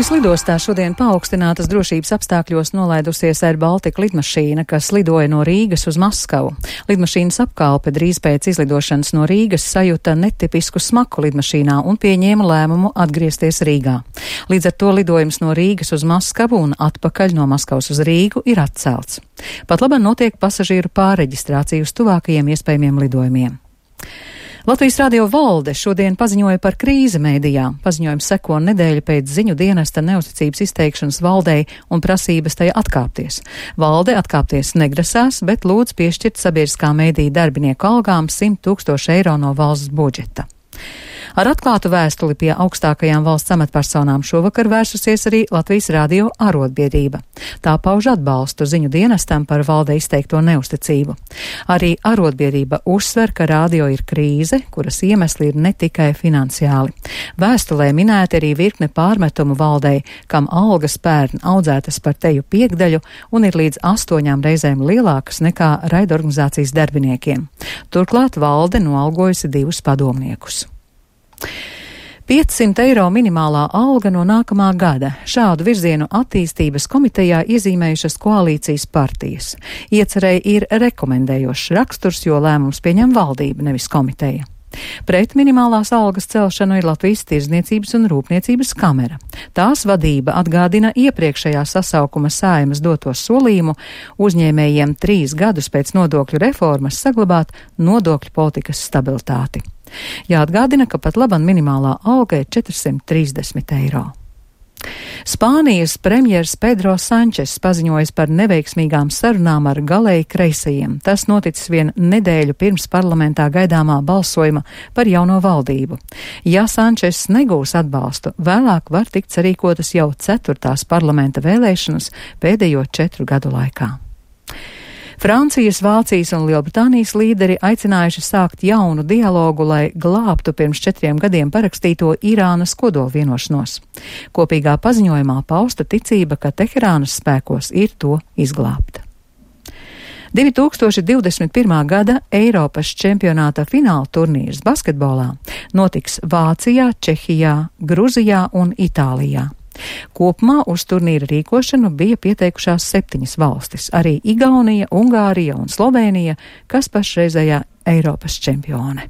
Rīgas lidostā šodien paaugstinātas drošības apstākļos nolaidusies Air Baltica lidmašīna, kas lidoja no Rīgas uz Maskavu. Lidmašīnas apkalpe drīz pēc izlidošanas no Rīgas sajuta netipisku smaku lidmašīnā un pieņēma lēmumu atgriezties Rīgā. Līdz ar to lidojums no Rīgas uz Maskavu un atpakaļ no Maskavas uz Rīgu ir atcelts. Pat labāk notiek pasažieru pārreģistrācija uz tuvākajiem iespējamiem lidojumiem. Latvijas radio valde šodien paziņoja par krīzi mēdījā. Paziņojums seko nedēļa pēc ziņu dienesta neusticības izteikšanas valdei un prasības tajā atkāpties. Valde atkāpties negrasās, bet lūdz piešķirt sabiedriskā mēdīja darbinieku algām 100 000 eiro no valsts budžeta. Ar atklātu vēstuli pie augstākajām valsts amatpersonām šovakar vērsusies arī Latvijas radio arotbiedrība. Tā pauž atbalstu ziņu dienestam par valdei izteikto neusticību. Arī arotbiedrība uzsver, ka radio ir krīze, kuras iemesli ir ne tikai finansiāli. Vēstulē minēti arī virkne pārmetumu valdei, kam algas pērn audzētas par teju piekdaļu un ir līdz 8 reizēm lielākas nekā raidorganizācijas darbiniekiem. Turklāt valde noalgojusi 2 padomniekus. 500 eiro minimālā alga no nākamā gada. Šādu virzienu attīstības komitejā iezīmējušas koalīcijas partijas. Iecerēji ir rekomendējošs raksturs, jo lēmums pieņem valdība, nevis komiteja. Pret minimālās algas celšanu ir Latvijas Tirdzniecības un Rūpniecības kamera. Tās vadība atgādina iepriekšējā sasaukuma Saeimas doto solījumu uzņēmējiem 3 gadus pēc nodokļu reformas saglabāt nodokļu politikas stabilitāti. Jāatgādina, ka pat labam minimālā alga ir 430 eiro. Spānijas premjers Pedro Sančes paziņojas par neveiksmīgām sarunām ar galēji kreisajiem. Tas noticis vien nedēļu pirms parlamentā gaidāmā balsojuma par jauno valdību. Ja Sančes negūs atbalstu, vēlāk var tikt sarīkotas jau 4. parlamenta vēlēšanas pēdējo 4 gadu laikā. Francijas, Vācijas un Lielbritānijas līderi aicinājuši sākt jaunu dialogu, lai glābtu pirms 4 gadiem parakstīto Irānas kodolvienošanos. Kopīgā paziņojumā pausta ticība, ka Teherānas spēkos ir to izglābt. 2021. gada Eiropas čempionāta fināla turnīrs basketbolā notiks Vācijā, Čehijā, Gruzijā un Itālijā. Kopumā uz turnīra rīkošanu bija pieteikušās 7 valstis, arī Igaunija, Ungārija un Slovēnija, kas pašreizējā Eiropas čempione.